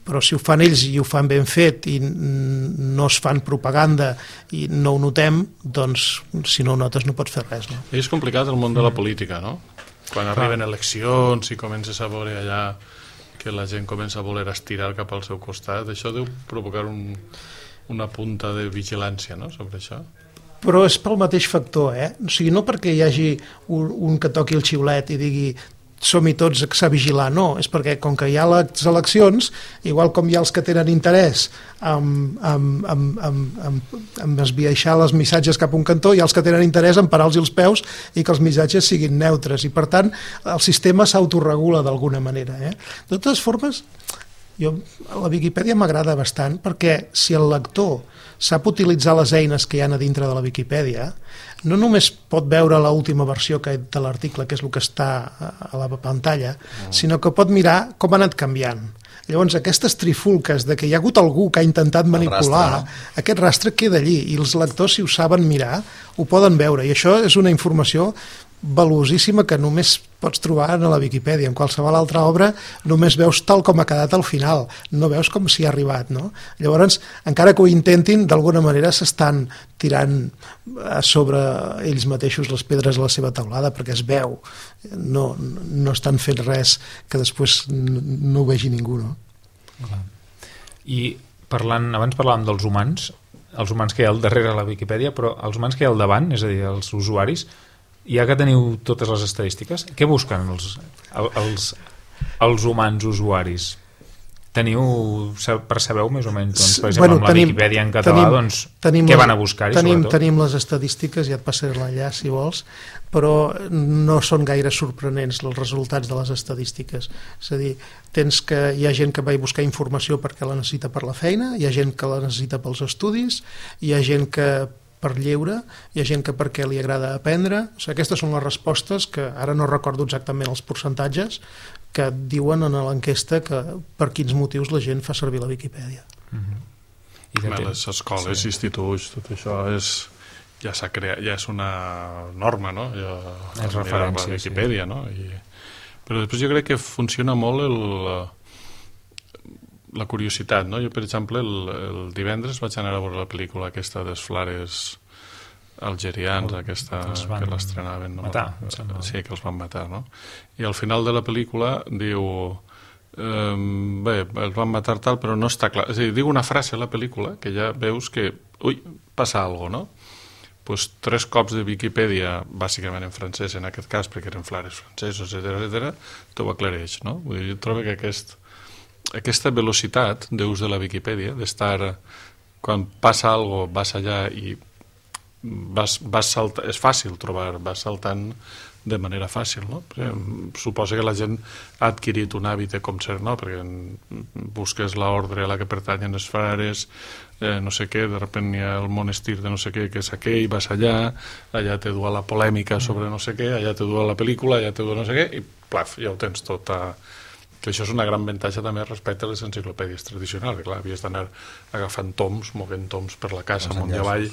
Però si ho fan ells i ho fan ben fet i no es fan propaganda i no ho notem, doncs si no ho notes no pots fer res, no? És complicat el món de la política, no? Quan arriben eleccions i comences a veure allà que la gent comença a voler estirar cap al seu costat, això deu provocar un, una punta de vigilància, no?, sobre això. Però és pel mateix factor, eh? O sigui, no perquè hi hagi un, un que toqui el xiulet i digui som-hi tots a vigilar, no, és perquè com que hi ha les eleccions, igual com hi ha els que tenen interès en, en, en, en, en, en esbiaixar els missatges cap a un cantó, hi ha els que tenen interès en parar-los els peus i que els missatges siguin neutres, i per tant el sistema s'autoregula d'alguna manera, eh? De totes formes, Jo, la Viquipèdia m'agrada bastant perquè si el lector sap utilitzar les eines que hi ha a dintre de la Viquipèdia, no només pot veure l'última versió que de l'article, que és el que està a la pantalla, sinó que pot mirar com ha anat canviant. Llavors, aquestes trifulques de que hi ha hagut algú que ha intentat manipular, rastre, no? Aquest rastre queda allí, i els lectors, si ho saben mirar, ho poden veure, i això és una informació valuosíssima que només pots trobar a la Viquipèdia. En qualsevol altra obra només veus tal com ha quedat al final, no veus com s'hi ha arribat, no? Llavors, encara que ho intentin, d'alguna manera s'estan tirant a sobre ells mateixos les pedres a la seva taulada, perquè es veu, no, no estan fent res que després no ho vegi ningú, no? I parlant, abans parlàvem dels humans, els humans que hi ha al darrere de la Viquipèdia, però els humans que hi ha al davant, és a dir, els usuaris, ja que teniu totes les estadístiques, què busquen els, els, els humans usuaris? Teniu, percebeu més o menys, doncs, per exemple, bueno, amb la tenim, Viquipèdia en català, tenim, doncs, tenim què van a buscar-hi, tenim, sobretot? Tenim les estadístiques, ja et passaré l'enllaç, si vols, però no són gaire sorprenents els resultats de les estadístiques. És a dir, tens que hi ha gent que va buscar informació perquè la necessita per la feina, hi ha gent que la necessita pels estudis, hi ha gent que per lleure, hi ha gent que perquè li agrada aprendre. O sigui, aquestes són les respostes que ara no recordo exactament els percentatges que diuen en l'enquesta que per quins motius la gent fa servir la Viquipèdia. Mm-hmm. I de les escoles, sí. instituts, tot això és, ja s'ha creat, ja és una norma, no? Ja, és referència, la Viquipèdia, sí. No? I, però després jo crec que funciona molt el, la curiositat, no? Jo, per exemple, el, el divendres vaig anar a veure la pel·lícula aquesta dels Flares algerians, aquesta que l'estrenaven, no? Matar, sí, que els van matar, no? I al final de la pel·lícula diu eh, bé, els van matar tal, però no està clar, és a dir, diu una frase a la pel·lícula que ja veus que, ui, passa alguna cosa, no? Pues tres cops de Viquipèdia, bàsicament en francès en aquest cas, perquè eren Flares francesos, etcètera, etcètera, t'ho aclareix, no? Vull dir, jo trobo que aquest aquesta velocitat d'ús de la Viquipèdia, d'estar, quan passa alguna cosa, vas allà i vas, vas saltar, és fàcil trobar, vas saltant de manera fàcil, no? Mm. Suposa que la gent ha adquirit un hàbit de com ser, no? Perquè busques l'ordre a la que pertanyen les frares, eh, no sé què, de repente hi ha el monestir de no sé què, que és aquell, vas allà, allà te du a la polèmica sobre no sé què, allà te du a la pel·lícula, allà te du a no sé què, i plaf, ja ho tens tot a... que això és una gran avantatge també respecte a les enciclopèdies tradicionals, que clar, havies d'anar agafant toms, moguent toms per la casa, amunt i avall,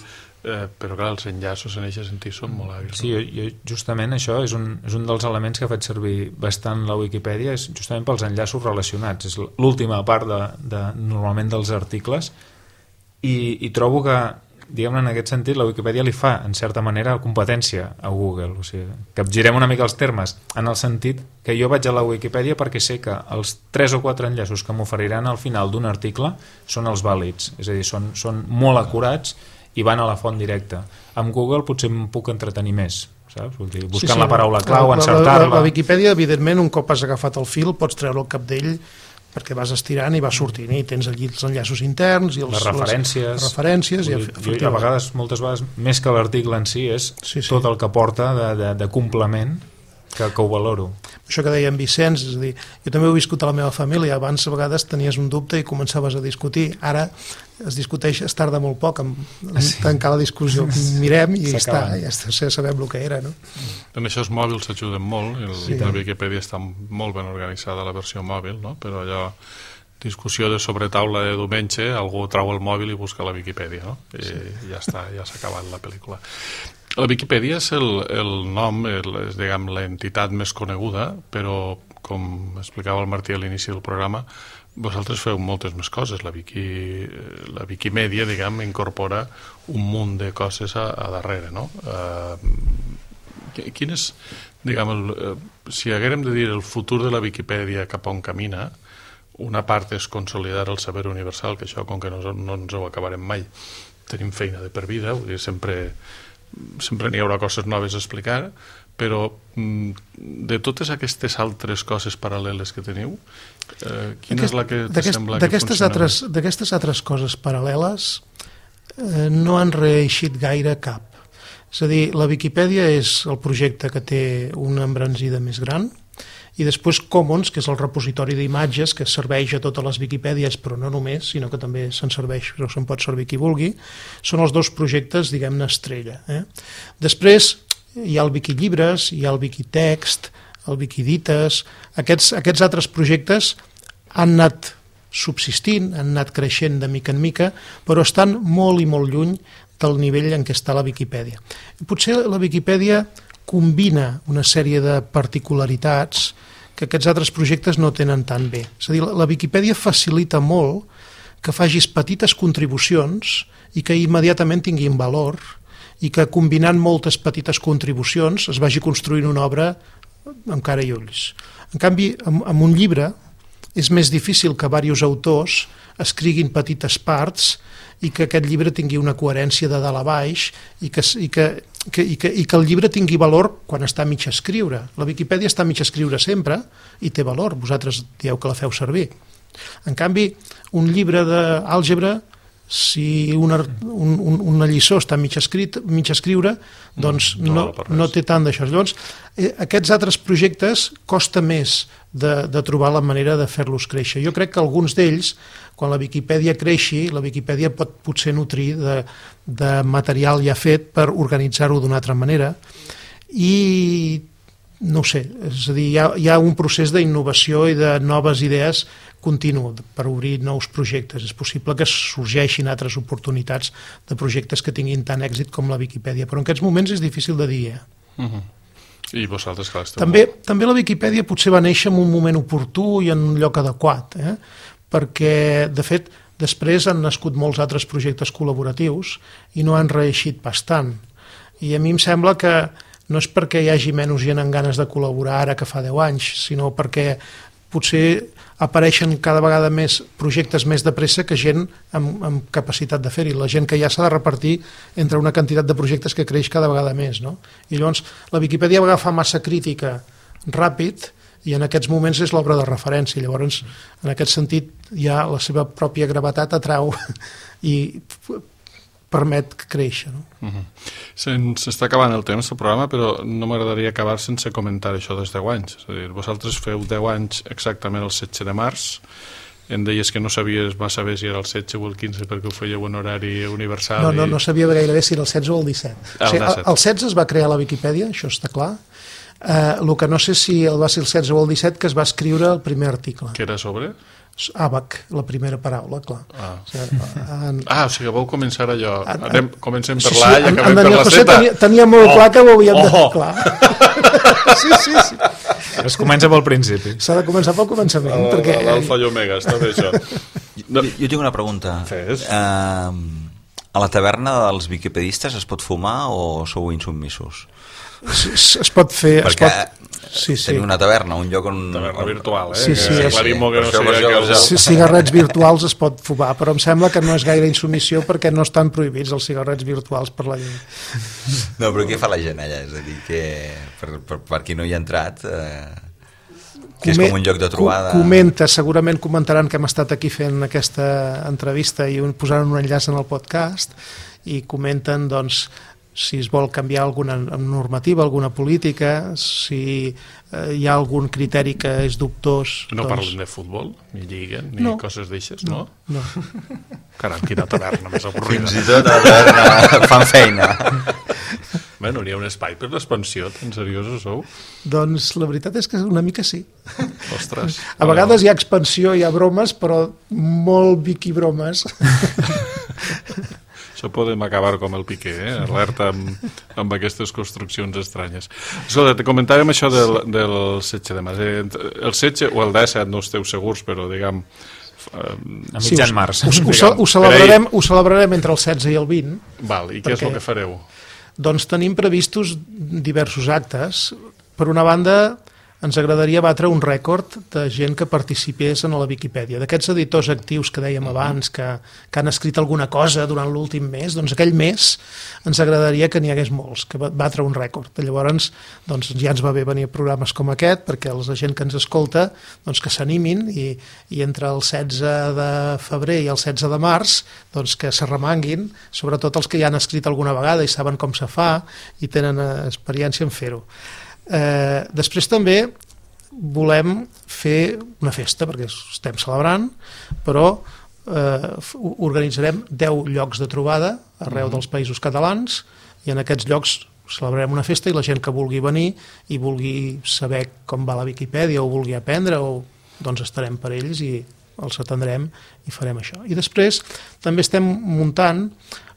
eh, però clar, els enllaços en aquest sentit són molt hàbils. Sí, jo, jo, justament això és un, és un dels elements que faig servir bastant la Wikipedia, és justament pels enllaços relacionats, és l'última part de, de, normalment dels articles, i, i trobo que, diguem-ne, en aquest sentit, la Wikipedia li fa, en certa manera, competència a Google. O sigui, capgirem una mica els termes, en el sentit que jo vaig a la Wikipedia perquè sé que els tres o quatre enllaços que m'oferiran al final d'un article són els vàlids, és a dir, són, són molt acurats i van a la font directa. Amb Google potser em puc entretenir més, saps? Vull dir, buscant sí, sí, la paraula clau, encertar-la... La, la, la Wikipedia, evidentment, un cop has agafat el fil, pots treure el cap d'ell perquè vas estirant i vas sortint i tens allí els enllaços interns i els, les referències, les, les referències i, jo, a vegades, moltes vegades, més que l'article en si és sí, sí. tot el que porta de, de, de complement que, que ho valoro. Això que deia en Vicenç, és a dir, jo també ho he viscut a la meva família, abans a vegades tenies un dubte i començaves a discutir, ara es discuteix, es tarda molt poc en, en sí. tancar la discussió, mirem i ja està, ja està, ja sabem el que era, no? En això els mòbils ajuden molt, el, sí. la Wikipedia està molt ben organitzada la versió mòbil, no? Però allò, discussió de sobretaula de diumenge, algú trau el mòbil i busca la Wikipedia, no? I sí. ja està, ja s'ha acabat la pel·lícula. La Viquipèdia és el, el nom, el, és diguem, l'entitat més coneguda, però com explicava el Martí a l'inici del programa, vosaltres feu moltes més coses. La, Wiki, la Wikimedia, diguem, incorpora un munt de coses a, a darrere, no? Uh, quin és, diguem, el, uh, si haguérem de dir el futur de la Viquipèdia cap on camina, una part és consolidar el saber universal, que això, com que no, no ens ho acabarem mai, tenim feina de per vida, vull dir, sempre... sempre n'hi haurà coses noves a explicar, però de totes aquestes altres coses paral·leles que teniu, eh, quina Aquest, és la que te sembla que funciona? Altres, d'aquestes altres coses paral·leles eh, no han reeixit gaire cap. És a dir, la Viquipèdia és el projecte que té una embranzida més gran i després Commons, que és el repositori d'imatges que serveix a totes les Viquipèdies, però no només, sinó que també se'n serveix, però se'n pot servir qui vulgui. Són els dos projectes, diguem-ne, estrella. Eh? Després hi ha el Wiquillibres, hi ha el Wiquitext, el Wiquidites. Aquests, aquests altres projectes han anat subsistint, han anat creixent de mica en mica, però estan molt i molt lluny del nivell en què està la Viquipèdia. Potser la Viquipèdia combina una sèrie de particularitats que aquests altres projectes no tenen tan bé. És a dir, la Viquipèdia facilita molt que facis petites contribucions i que immediatament tinguin valor i que combinant moltes petites contribucions es vagi construint una obra amb cara i ulls. En canvi, amb, amb un llibre és més difícil que diversos autors escriguin petites parts i que aquest llibre tingui una coherència de dalt a baix i que, i que, que, i que, i que el llibre tingui valor quan està a mig escriure. La Viquipèdia està a mig escriure sempre i té valor, vosaltres dieu que la feu servir. En canvi, un llibre d'àlgebra, si una, un, un, una lliçó està mig, escrit, mig escriure, doncs no, no, no té tant d'això. Llavors, eh, aquests altres projectes costa més de, de trobar la manera de fer-los créixer. Jo crec que alguns d'ells, quan la Viquipèdia creixi, la Viquipèdia pot potser nutrir de, de material ja fet per organitzar-ho d'una altra manera i no ho sé, és a dir, hi ha, hi ha un procés d'innovació i de noves idees continu per obrir nous projectes. És possible que sorgeixin altres oportunitats de projectes que tinguin tant èxit com la Viquipèdia, però en aquests moments és difícil de dir. Eh? Uh-huh. I vosaltres que l'esteu... També, també la Viquipèdia potser va néixer en un moment oportú i en un lloc adequat, eh? Perquè, de fet, després han nascut molts altres projectes col·laboratius i no han reeixit bastant. I a mi em sembla que no és perquè hi hagi menys gent amb ganes de col·laborar ara que fa deu anys, sinó perquè potser apareixen cada vegada més projectes més de pressa que gent amb, amb capacitat de fer-hi. La gent que ja s'ha de repartir entre una quantitat de projectes que creix cada vegada més. No? I llavors la Viquipèdia va agafar massa crítica ràpid i en aquests moments és l'obra de referència. Llavors, en aquest sentit, ja la seva pròpia gravetat atrau i permet créixer. No? Uh-huh. S'està acabant el temps del programa, però no m'agradaria acabar sense comentar això dels deu anys. És a dir, vosaltres feu deu anys exactament el setze de març, em deies que no sabies, va saber si era el setze o el quinze perquè ho fèieu en horari universal. No, no, no sabia gairebé si era el setze o el disset. Ah, o sigui, el, el setze es va crear la Viquipèdia, això està clar. Uh, el que no sé si el va ser el setze o el disset que es va escriure el primer article. Que era sobre? Àbac, la primera paraula, clar. Ah, o sigui, en... ah, o sigui, vau començar allò. En, Anem, comencem per sí, l'A sí, i acabem en per la José Z. Tenia, tenia molt oh, clar que ho havíem de... Oh. Clar. Sí, sí, sí. Es comença pel principi. S'ha de començar pel començament. Oh, perquè... L'alfa i omega, està bé això. No. Jo, jo tinc una pregunta. Fes. Uh, a la taverna dels viquipedistes es pot fumar o sou insubmissos? Es, es pot fer... Perquè es pot... Sí, sí. tenim una taverna, un lloc on... Taverna virtual, eh? Sí, sí, que és... sí. Que no això, sigui això, que... C cigarrets virtuals es pot fumar, però em sembla que no és gaire insubmissió perquè no estan prohibits els cigarrets virtuals per la llei. No, però què fa la gent allà? És a dir, que per, per, per qui no hi ha entrat... Eh... que és com un lloc de trobada... Comenta, segurament comentaran que hem estat aquí fent aquesta entrevista i posaran un enllaç en el podcast i comenten, doncs, si es vol canviar alguna normativa, alguna política, si eh, hi ha algun criteri que és dubtós... No doncs... parlen de futbol, ni lliga, ni no. coses d'aixes, no? No. Caram, quina taverna més avorrida. Fins i tot a la taverna fan feina. Bueno, n'hi ha un espai per l'expansió, tan seriosos sou? Doncs la veritat és que una mica sí. Ostres. A vegades hi ha expansió, hi ha bromes, però molt viquibromes. Això podem acabar com el Piqué, eh? Alerta amb, amb aquestes construccions estranyes. Escolta, te comentàvem això del, del setze de març. El setze o el disset, no esteu segurs, però diguem... A mitjan març. Ho, ho, ho, ho, celebrarem, ho celebrarem entre el setze i el vint. Val, i què és el que fareu? Doncs tenim previstos diversos actes. Per una banda, ens agradaria batre un rècord de gent que participés en la Viquipèdia. D'aquests editors actius que dèiem abans, que, que han escrit alguna cosa durant l'últim mes, doncs aquell mes ens agradaria que n'hi hagués molts, que batre un rècord. Llavors, doncs, ja ens va bé venir a programes com aquest, perquè la gent que ens escolta doncs, que s'animin i, i entre el setze de febrer i el setze de març doncs, que s'arremanguin, sobretot els que ja han escrit alguna vegada i saben com se fa i tenen experiència en fer-ho. Eh, després també volem fer una festa, perquè estem celebrant, però eh, organitzarem deu llocs de trobada arreu dels països catalans, i en aquests llocs celebrarem una festa i la gent que vulgui venir i vulgui saber com va la Viquipèdia o vulgui aprendre, o, doncs estarem per ells i els atendrem i farem això. I després també estem muntant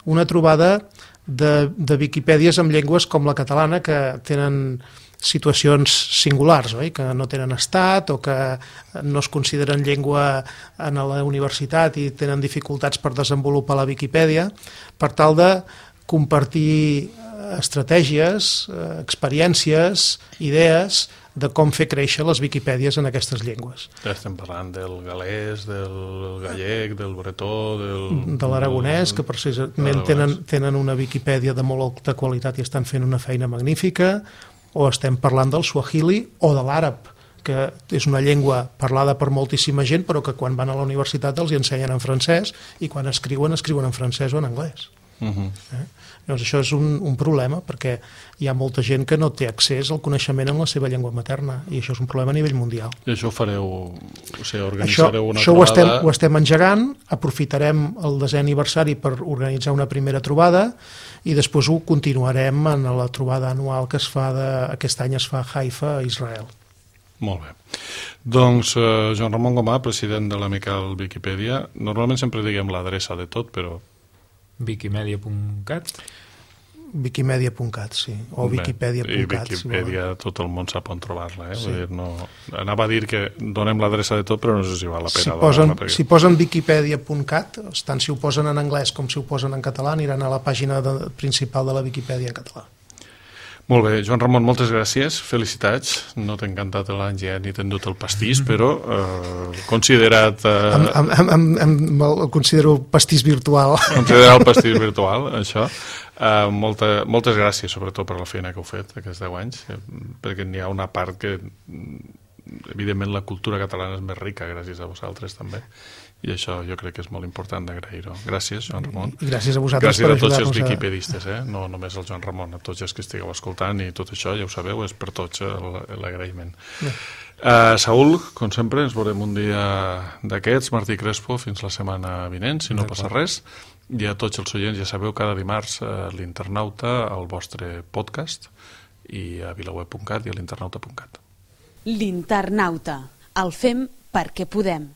una trobada de, de Viquipèdies amb llengües com la catalana, que tenen situacions singulars, oi? Que no tenen estat o que no es consideren llengua en la universitat i tenen dificultats per desenvolupar la Viquipèdia, per tal de compartir estratègies, experiències, idees de com fer créixer les Viquipèdies en aquestes llengües. Ja estem parlant del galès, del gallec, del bretó, del... de l'aragonès, que precisament tenen, tenen una Viquipèdia de molt alta qualitat i estan fent una feina magnífica, o estem parlant del suahili o de l'àrab, que és una llengua parlada per moltíssima gent, però que quan van a la universitat els hi ensenyen en francès, i quan escriuen, escriuen en francès o en anglès. Uh-huh. eh? Llavors això és un, un problema, perquè hi ha molta gent que no té accés al coneixement en la seva llengua materna, i això és un problema a nivell mundial. I això ho fareu, o sigui, organitzareu una això, trobada... Això ho estem, ho estem engegant, aprofitarem el desè aniversari per organitzar una primera trobada, i després ho continuarem en la trobada anual que es fa, de, aquest any es fa a Haifa, a Israel. Molt bé. Doncs eh, Joan Ramon Gomà, president de l'Amical Viquipèdia, normalment sempre diguem l'adreça de tot, però... Wikimedia punt cat Wikimedia punt cat, sí, o Wikipedia punt cat. I Wikipedia, si tot el món sap on trobar-la, eh? Sí. Vull dir, no... Anava a dir que donem l'adreça de tot, però no sé si val la pena. Si posen, perquè... si posen Wikipedia punt cat, tant si ho posen en anglès com si ho posen en català, aniran a la pàgina de, principal de la Viquipèdia en català. Molt bé, Joan Ramon, moltes gràcies, felicitats. No t'he encantat l'Àngel ni t'he endut el pastís, però eh, considerat... Eh... Em, em, em, em, el considero pastís virtual. Considerar el pastís virtual, això. Eh, molta, moltes gràcies, sobretot, per la feina que heu fet aquests deu anys, eh, perquè n'hi ha una part que, evidentment, la cultura catalana és més rica gràcies a vosaltres, també. I això jo crec que és molt important d'agrair-ho. Gràcies, Joan Ramon. I gràcies a vosaltres gràcies per ajudar-nos. Gràcies a tots els a... viquipedistes, eh? No només el Joan Ramon, a tots els que estigueu escoltant, i tot això, ja ho sabeu, és per tots l'agraïment. Uh, Saúl, com sempre, ens veurem un dia d'aquests, Martí Crespo, fins la setmana vinent, si no passa res. I a tots els oients, ja sabeu, cada dimarts a l'Internauta, al vostre podcast, i a vilaweb punt cat i a l'internauta punt cat. L'Internauta. El fem perquè podem.